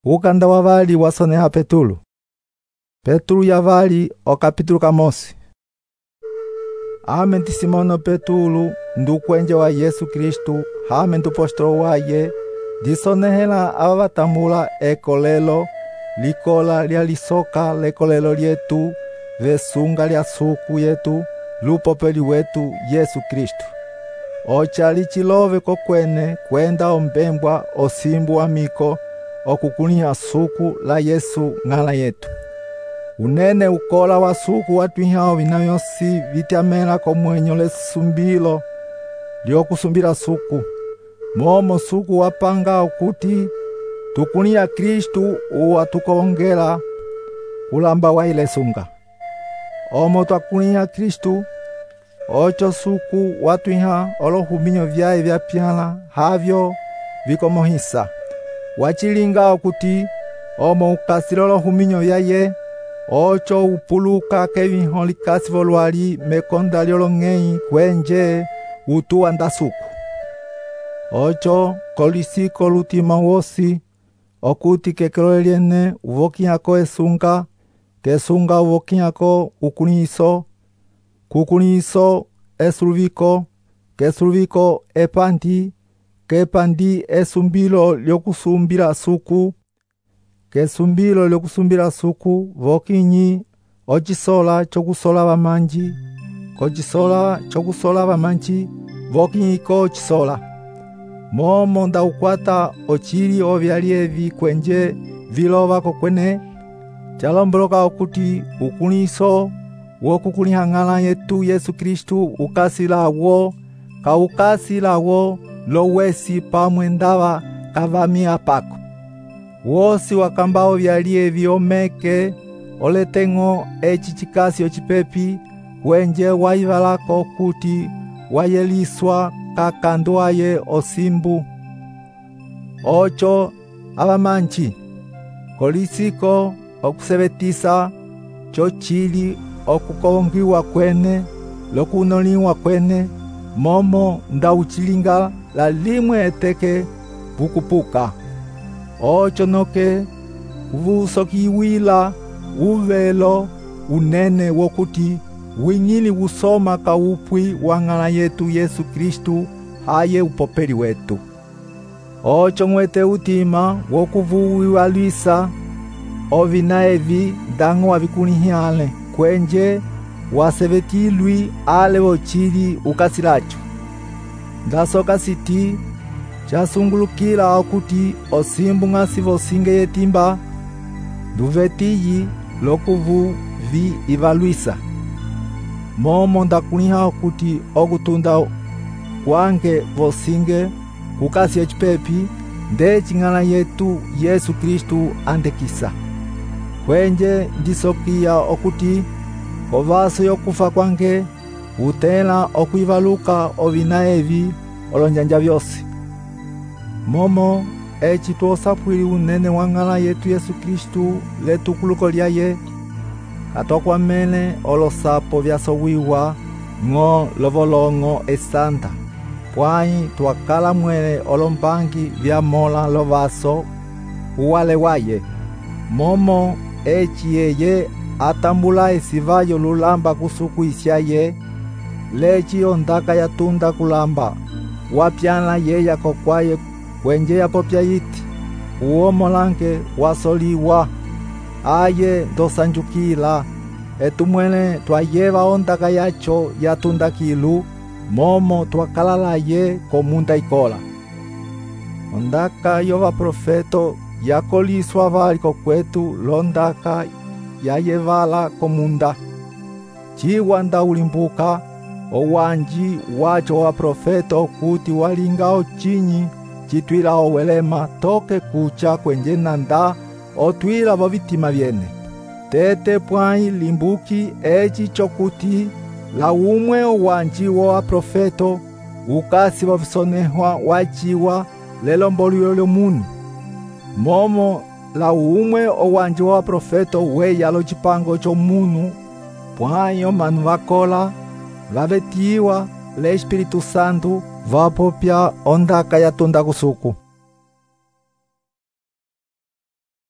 Ukanda wa vali wasoneha Petulu. Petulu ya vali o capítulo kamosi. Ame Simono Petulu ndukwenje wa Yesu Kristu hame ndupostolo waye disonehela ava vatambula ekolelo likola lya lisoka lekolelo lyetu vesunga lya suku yetu lupopeli wetu Yesu Kristu. Ochali chilove kokwene kwenda ombembwa osimbu wa miko okukunia suku la Yesu ng'ala yetu. Unene ukola wa suku watwihao vinavyosi vityamela komwenyo lesumbilo lyokusumbila suku. Momo suku wapanga okuti tukunia Kristu uwatukongela kulamba wa ile sunga. Omo twakunia Kristu ocho suku watwiha olohuminyo vyae vyapyala havyo vikomohisa. Wachilinga okuti omo ukasilo olohuminyo vyaye ocho upuluka keviho likasi volwali mekonda lyolong'ei kwenje utuwa ndasuku. Ocho kolisiko lutima wosi okuti kekelo lyene uvokiako esunga, kesunga uvokiako ukuniso, kukuniso esuluviko, kesuluviko epandi, kepandi esumbilo lyokusumbila suku, kesumbilo lyokusumbila suku vokinyi ochisola chokusola vamanji, kochisola chokusola vamanji vokinyiko chisola. Momo nda ukwata ochili ovyali evi kwenje vilova kokwene chalomboloka okuti ukuniso wokukuliha ng'ala yetu Yesu Kristu ukasilawo kaukasilawo lowesi pamwe ndava kavami apako. Wosi wakambao vyali evi omeke oleteng'o eci chikasi ocipepi kwenje waivalako kuti wayeliswa kakandwaye osimbu. Ocho avamanchi kolisiko okusebetisa chochili okukongiwa kwene lokunoliwa kwene momo nda uchilinga la limwe eteke vukupuka. Ocho noke uvusokiwila uvelo unene wokuti winyili usoma kaupwi wa ng'ala yetu Yesu Kristu haye upopeli wetu. Ocho mwete utima wokuvuwiwalisa ovina evi ndang'o wavikunihale kwenje wasebetilwi ale wochili ukasilacho. Ndasoka siti chasungulukila okuti osimbu ng'asi vosinge yetimba nduvetiyi lokuvu vi ivalwisa. Momo ndakuniha okuti okutunda kwange vosinge kukasi ecipepi ndeci ng'ala yetu Yesu Kristu andekisa. Kwenje ndisokiya okuti kovaso yokufa kwange utela okwivaluka ovina evi olonjanja vyosi. Momo eci tuosapwili unene wa ng'ala yetu Yesu Kristu letukuluko lyaye katokwamene olosapo vyasowiwa ng'o lovolong'o esanta pwai twakala mwele olombangi vyamola lovaso uwale waye. Momo eci yeye atambula esivayo lulamba kusuku isyaye leci ondaka yatunda kulamba wapyala yeya kokwaye kwenje yapopya yiti uomolange wasoliwa aye ndosanjukila etumwele twayeva ondaka yacho yatunda kilu momo twakalalaye komunda ikola. Ondaka yova profeto yakoliswa vali kokwetu londaka yayevala komunda. Chiwa nda ulimbuka owanji wacho wa profeto kuti walingao chinyi chitwila owelema toke kucha kwenje nanda otwila vovitima vyene. Tete pwai limbuki eci chokuti la umwe owanji wa profeto ukasi vovisonehwa wachiwa lelombolilo lyomunu. Momo la umwe owanji wa profeto weya lo chipango chomunu pwai omanu vakola vavetiwa le Espiritu Santu vapopya ondaka yatunda kusuku.